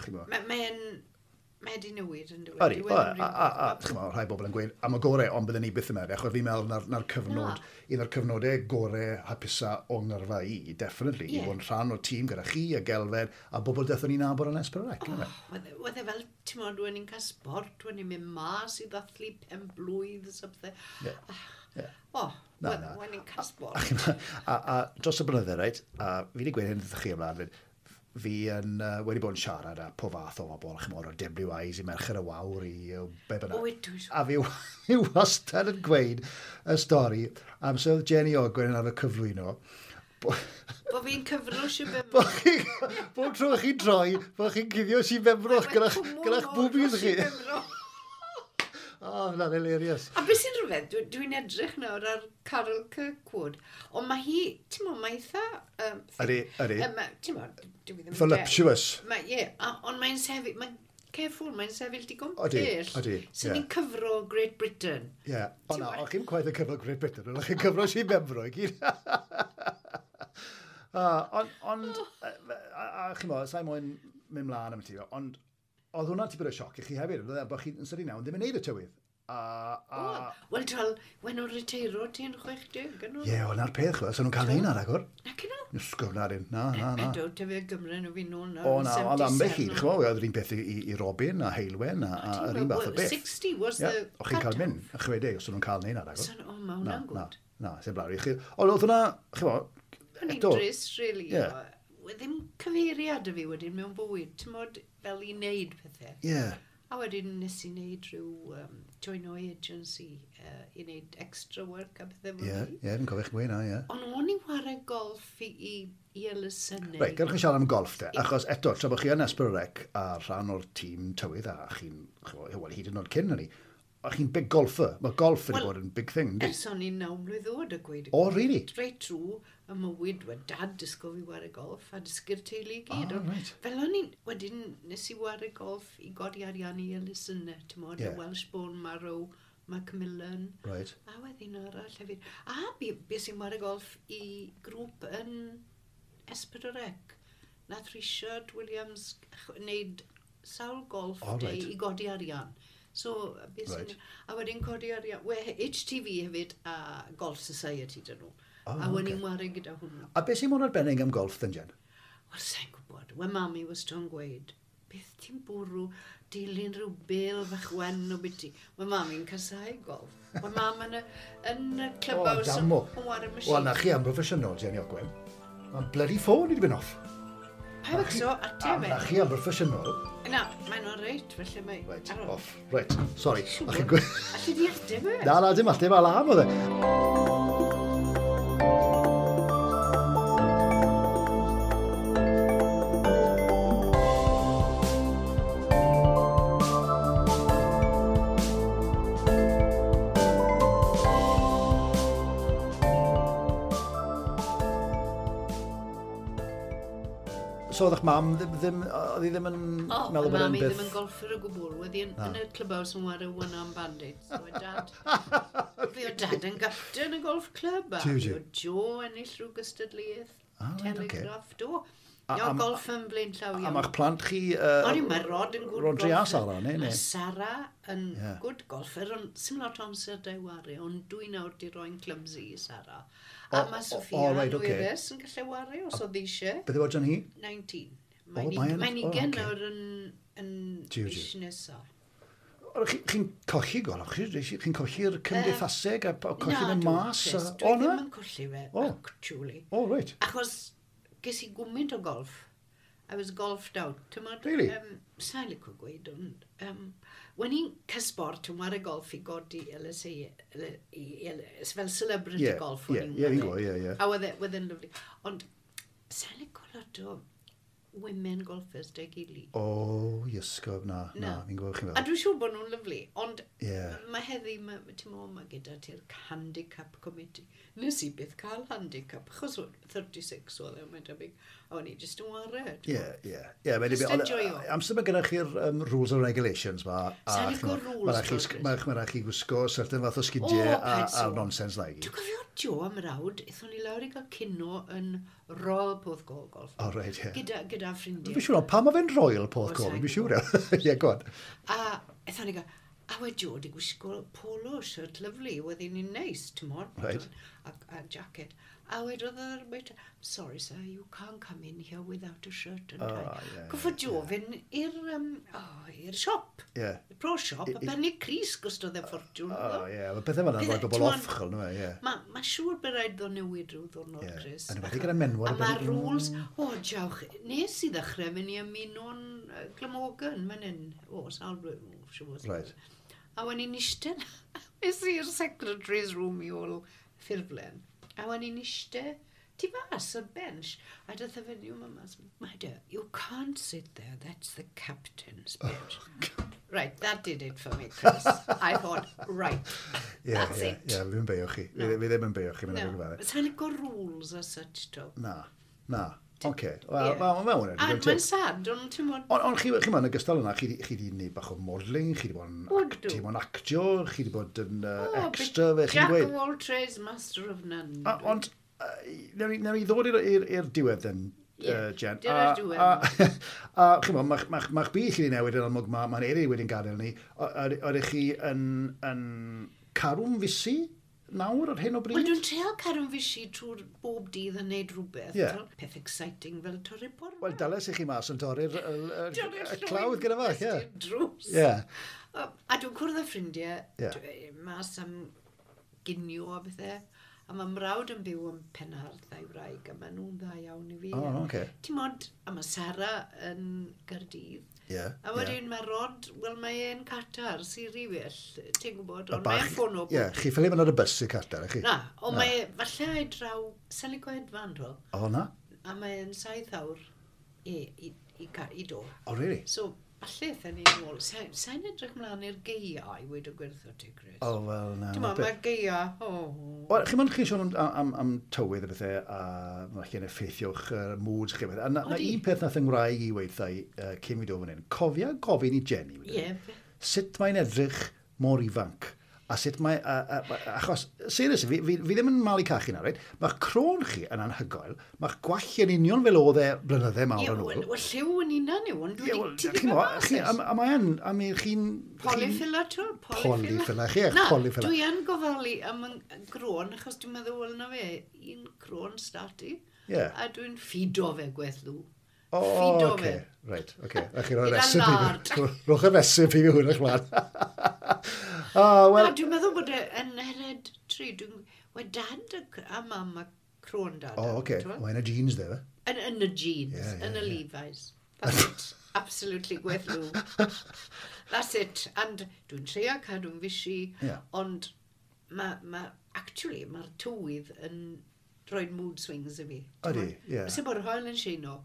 chi'n gwybod. Mae wedi newid yn dweud. Ydy, a chi'n gwybod, rhai bobl yn gweud am y gorau, ond bydden ni byth yn meddwl, achos fi'n meddwl na'r cyfnod, un o'r cyfnodau gorau hapusa o ngyrfa i, definitely, i fod yn rhan o'r tîm gyda chi a Gelfed, a bobl dethon ni'n nabod yn S4C. Oedd e fel, ti'n modd, when ni'n cael sport, when ni'n mynd mas i ddathlu pen-blwydd, something. O, when ni'n cael sport. A dros y blynydde, reit, a fi wedi gweud hyn wrthych chi ymlaen, fi yn wedi bod yn siarad â po fath o bobl, chimod, o WIs i Merched y Wawr i be bynnag. A fi wastad yn gweud y stori am so oedd Jenny Ogwen yn arfer cyflwyno. Bo fi'n cyfro Sir Benfro. Bob tro chi'n troi, bo chi'n cuddio Sir Benfro gyda'ch boobies chi. O, hwnna'n hilarious. A beth sy'n rhyfedd, dwi'n edrych nawr ar Carol Kirkwood, ond mae hi, ti'n mo, mae eitha... Ydy, ydy. Ti'n mo, dwi ddim... Voluptuous. Ie, ond mae'n sefyll, mae'n careful, mae'n sefyll digon pell. Ydy, So ni'n cyfro Great Britain. Ie, o na, o'ch chi'n cwaith yn cyfro Great Britain, ond o'ch chi'n cyfro Sir Benfro i gyd. Ond, a chi'n mo, sa'i moyn mynd mlaen am ti, ond oedd hwnna'n tipyn o sioc i chi hefyd, oedd e, bod chi'n sydyn iawn ddim yn neud y tywydd. Wel, tal, wen nhw'n riteiro ti'n 60, yn nhw? Ie, wel, na'r peth, chwel, so nhw'n cael neud na ragor. Na, cyn nhw? Ysgol, na, na, na, na. Ydw, tyfu Gymru nhw fi nôl nawr. O, na, ond ambell un, chwel, oedd yr un peth i Robin a Heilwen a yr un fath o beth. 60 was the cut-off. O, chi'n cael mynd, 60, os nhw'n cael neud na ragor. O, mae hwnna'n gwd. Na, sy'n blawr i chi. Ond oedd hwnna, chwel, eto. O'n i'n drist, really. Ddim cyfeiriad y fi wedyn mewn bywyd, ti'n modd fel i wneud pethau. Ie. A wedyn nes i wneud rhyw join o agency i wneud extra work a pethau fel ni. Ie, fi'n cofio chi'n gweud na, ie. Ond o'n i'n chwarae golf i elusennau. Reit, gadewch chi siarad am golf te, achos eto, tra bod chi yn S4C a rhan o'r tîm tywydd a chi'n, wel, hyd yn oed cyn hynny, a chi'n big golfer. Mae golf wedi bod yn big thing, yndi? Ers o'n i'n 9 mlwydd oed a gweud. O, really? Reit trwy, y mywyd, we dad dysgo fi ware golf a dysgu'r teulu i gyd. Oh, right. Fel o'n i'n, wedyn nes i ware golf i godi arian i elusennau, ti'n modd, y Welsh Bone Marrow, Macmillan. Right. A wedyn arall hefyd. A bu sy'n ware golf i grŵp yn S4C. Nath Richard Williams wneud sawl golf day i godi arian. So, right. A wedyn codi arian. We, HTV hefyd a Golf Society dyn nhw. Oh, a wedyn okay. Ware gyda hwnnw. A beth sy'n mor arbennig am golf, then, Jen? Wel, sa'n gwybod. We mami wastad yn gweud, beth ti'n bwrw dilyn rhyw bel fach wen o biti. Mae mami'n casau golf. Mae mam yn y, yn y clubhouse yn ware machine. Wel, na chi am broffesiynol, Jenny Ogwen. Mae'n bloody ffôn i wedi mynd off. Pa becso, ateb e. Na chi am broffesiynol. Na, mae'n o reit, felly mae... Right, off. Right, sorry. Alli di ateb e? Na, na, dim ateb, alarm oedd e. So oedd eich mam ddim, oedd hi ddim yn meddwl bod e'n byth... O, ddim yn golffer o gwbl. Oedd hi yn y clubhouse yn ware One Arm Bandit. So oedd dad... Fi oedd dad yn gapten y golf club. A fi oedd Joe ennill rhyw gystadleuaeth. Telegraph, do. Ia, golf yn blaen llaw iawn. A mae'ch plant chi... O'n i, mae Rod yn good golfer. Rodri a Sara, neu? Mae Sara yn good golfer, ond sim lot o amser da i ware, ond dwi nawr di roi'n clumsy i Sara. A mae Sophia Lwyres yn gallu ware os oedd eisiau. Beth yw oedran hi? 19. Mae'n 20 nawr yn mis nesaf. Chi'n colli golf? Chi'n colli'r cymdeithaseg a colli mynd mas? Na, dwi ddim yn colli fe, actually. O, reit. Achos ges i gwmynt o golf. I was golfed out. Really? Sa'n licio gweud, ond... When i'n cael sport yn ware golf i godi LSA, fel celebrity golf. Ie, fi'n gwybod, ie. A oedd e'n lyfli. Ond sa'n licio lot o women golfers dy gili. O, iesgob, na, na, fi'n gwybod chi'n fel. A dwi'n siŵr bod nhw'n lyfli, ond mae heddi, ti'n meddwl, mae gyda ti'r handicap committee. Nes i byth cael handicap, achos 36 oedd e, mae'n debyg, a o'n i jyst yn ware. Ie, ie. Just enjoyo. Amser mae gyda chi'r rules and regulations ma. Sa'n licio rules. Mae rhaid chi gwisgo certain fath o sgidiau a nonsense na i gyd. Dwi'n cofio Joe am rawd, aethon ni lawr i gael cino yn Royal Porthcawl Golf. O, reit, ie. Gyda ffrindiau. Fi'n siŵr, pam mae fe'n Royal Porthcawl? Fi'n siŵr, ie, go on. A aethon ni gael, a we Joe di gwisgo polo shirt lyfli, oedd hi'n neis, ti'n modd. Right. A jacket. A wedodd yr waiter, sorry sir, you can't come in here without a shirt and tie. Goffo Joe fynd i'r siop. Yeah. Pro shop, a benni Cris gostodd e ffortiwn. O, ie, mae pethau fel yna'n rhoi bobl off, chol, nhw, ie. Mae siŵr bod rhaid ddo newid rhyw ddwrnod, Chris. A nhw gyda menwad. A mae rules, o, diawch, nes i ddechrau fynd i ymuno'n Glamorgan, fan hyn, o, sawl blwyddyn, siŵr. Right. A wen i'n eistedd, es i'r secretary's room i ôl ffurflen. A wen i'n eistedd tu fas o'r bench. A dath y fenyw yma mas, Madam, you can't sit there, that's the captain's bench. Oh, right, that did it for me, Chris. I thought, right, that's it. Ie, fi'n beio chi. Fi ddim yn beio chi. No, sa'n licio rules as such, to. Na, na. Oce, wel, mae hwnna'n digon teg. Mae'n sad, ond ti'n modd... Ond chi ma'n ogystal yna, chi wedi gwneud bach o modelling, chi wedi bod yn actio, chi wedi bod yn extra, fe chi'n gweud. Jack of all trades, master of none. Ond, newn ni ddod i'r diwedd then, Jen. Dyna'r diwedd. A chi'n bod, mae'ch byd chi wedi newid yn amlwg, mae'n Eiri wedi'n gadael ni. Oeddech chi yn carw'n fusi nawr ar hyn o bryd? Wel, dwi'n treial cadw'n fusi trwy'r bob dydd yn neud rhywbeth. Yeah. Peth exciting fel torri porfa. Wel, dales i chi mas yn torri'r y clawdd gyda fach, ie. Drws. Yeah. A dwi'n cwrdd â ffrindiau mas am ginio a bethau. A mae mrawd yn byw yn Penarth a'i wraig, a maen nhw'n dda iawn i fi. Oh, okay. Ti'n modd, a mae Sara yn Gaerdydd. Yeah, a wedyn mae Rod, wel mae e'n Qatar, Siri well, ti'n gwybod, ond mae'n ffono. Ie, yeah, chi ffili mynd ar y bus i Qatar, chi? Na, ond mae, falle ei draw, sa'n licio hedfan, dwi. O, na? A mae'n 7 awr i do. Oh, really? So, Falle aethon ni nôl. Sa'n edrych mlaen i'r gaea i weud y gwir wrtho ti, Chris. O, wel, na. Ti'n meddwl, mae'r gaea, o. Wel, chi'n mynd chi sôn am tywydd a bethau, a mae chi'n effeithio'ch moods chi. A na un peth nath yng Ngwraig i weithio cyn fi dod fan hyn. Cofia gofyn i Jenny, sut mae'n edrych mor ifanc? A sut mae, achos, seriously, fi ddim yn malu cachu na, reit? Mae'ch crôn chi yn anhygoel, mae'ch gwallt yn union fel oedd e blynydde mawr yn ôl. Ie, wel, lliw yn unan yw, ond dwi ti ddim yn mas. A mae yn, a mi chi'n... Polyfilla, ti'n? Polyfilla, chi eich polyfilla. Dwi yn gofalu am y grôn, achos dwi'n meddwl, wel, na fe, un crôn stati. Yeah. A dwi'n ffido fe gweth lw. O, oce. Reit, oce. A chi'n rhoi recipe. Rhowch y recipe fi hwn eich mlaen. Oh, well... Na, dwi'n meddwl bod e yn hereditary. Wel, dad a mam a crôn dad. O, oce. Mae'n y jeans, dde, fe? Yn y jeans, yn y Levi's. That's it. Absolutely gweth lw. That's it. And dwi'n trio cadw'n fishy, ond actually, mae'r tywydd yn rhoi mood swings i fi. Ydy, ie. Sy'n bod yr haul yn sheino.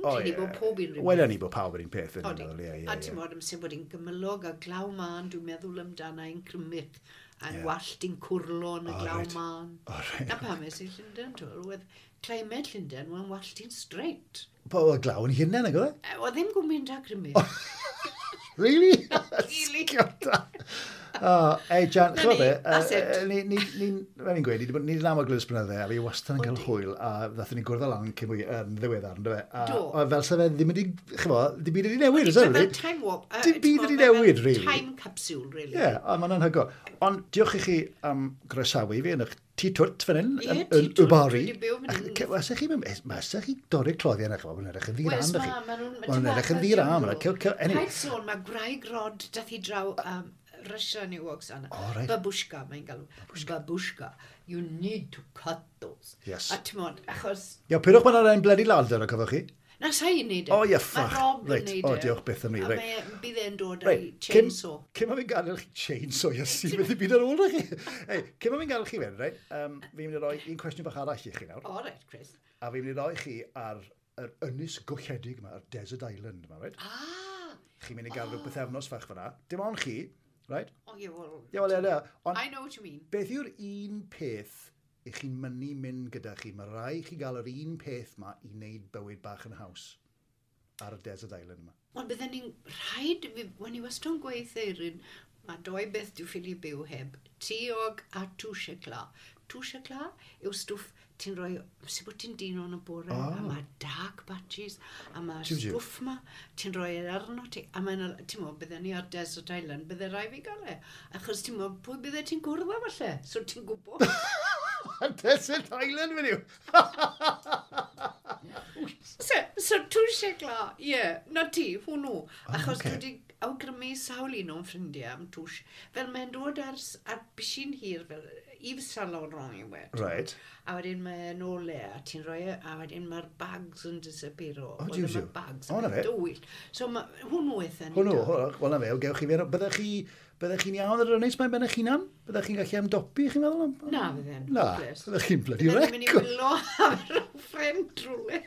O, ie. Bod pob un rhywbeth. Wel, ni bod pawb yr un peth. A ti'n modd, amser bod hi'n gymylog a glaw mân, dwi'n meddwl amdana i'n crymych, a'n wallt i'n cwrlo yn y glaw mân. Na pam es i Llundain, ti'n oedd climate Llundain, mae'n wallt i'n straight. Po, oedd glaw yn hunain, nag oedd e? Oedd ddim gwmynt a crymych. Really? Really? Oh, ei, Jan, ch'mo be, fel ni'n gweud, ni wedi bod am y glws blynydde, a fi wastad yn cael hwyl, a ddathon ni gwrdd lan cyn mwy yn ddiweddar, ynddo fe? A fel sa fe ddim wedi, ch'mo, dim byd wedi newid, is it, really? Time warp. Dim byd wedi newid, really. Time capsule, really. Ie, a mae'n anhygoel. Ond diolch i chi am groesawu fi yn eich tŷ twt fan hyn, yn y Bari. Mae chi dorri'r cloddiau yna, ch'mo, mae'n edrych yn ddi-ran, dych chi. Mae'n edrych yn ddi-ran. Paid sôn, mae gwraig Rod dath i draw Russia New Oksana. Oh, right. Babushka, mae'n galw. Babushka. You need to cut those. Yes. A ti'n modd, achos... Ia, pyrwch mae'n ar ein bloody ladder, o cofiwch chi? Na, sa i'n neud e. O, ie, ffach. Mae Rob yn neud e. O, diolch byth am ni. A bydd e'n dod â'i chainsaw. Cyn ma fi'n gadael chi chainsaw, Iesu, beth i byd ar ôl chi. Ei, cyn ma fi'n gadael chi fynd, reit, fi'n mynd i roi un cwestiwn bach arall i chi nawr. O, reit, Chris. A fi'n mynd i roi chi ar yr ynys golledig yma, yr Desert Island yma, reit? Ah! Chi'n mynd i gael rhyw bythefnos fach fyna. Dim ond chi, right? O, ie, wel... Ie, wel, ie, ie. I know what you mean. Beth yw'r un peth i chi'n mynnu mynd gyda chi? Mae rai chi gael yr un peth ma i wneud bywyd bach yn haws ar y Desert Island yma. Wel, bydden ni'n rhaid... Wen i wastad yn gweithio Eirin, mae doi beth dwi'n ffili byw heb. Tiog a touche cla. Touche cla yw stwff ti'n rhoi, sy'n bod ti'n dino yn y bore, a mae dark patches, a mae stwff ma, ti'n rhoi e arno ti, a mae'n, ti'n meddwl, bydden ni ar Desert Island, bydde rai fi gael e. Achos ti'n meddwl, pwy bydde ti'n gwrdd â falle? So ti'n gwybod. Desert Island, fan yw! So touche cla, ie, na ti, hwnnw. Achos dwi wedi awgrymu sawl un o'n ffrindiau am touche. Fel mae'n dod ar bishyn hir, fel Yves Saint Laurent yw e. Right. A wedyn mae'n ôl e, a ti'n rhoi e, a wedyn mae'r bags yn disappearo. O, diw, diw. Bags o, na fe. Dywyll. So hwnnw eitha ni. Hwnnw, wel na fe, gewch chi fe. Byddech chi'n iawn ar yr ynys mae'n ben eich hunan? Byddech chi'n gallu ymdopi, chi'n meddwl? Na, fydden. Na, byddech chi'n bloody wreck. Bydden ni'n mynd i wylo am yr ffrind drwle.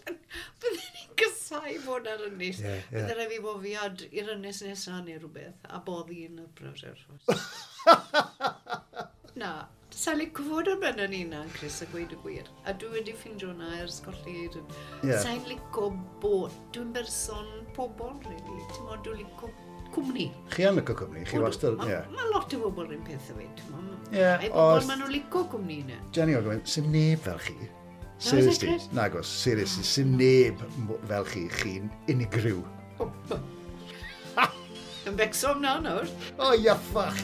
Bydden ni'n gysau fod ar ynys. Bydden rhaid fi bofiad i'r ynys nesaf neu rhywbeth, a boddi yn y browser. Na, sa'n licio fod ar ben yn unan, Chris, a gweud y gwir. A dwi wedi ffindio hwnna ers colli Eirin. Yeah. Sa'n licio bod, dwi'n berson pobol, really. Ti'n modd, dwi'n licio cwmni. Chi yn licio cwmni, chi wastad, ie. Mae lot o bobl yn peth o fe, ti'n modd. Ie, Ai bobl, maen nhw'n licio cwmni yna. Jenny Ogwen, sy'n neb fel chi. Seriously, nagos, seriously, sy'n neb fel chi, chi'n unigryw. Yn becso am na nawr. O, ia, ffach!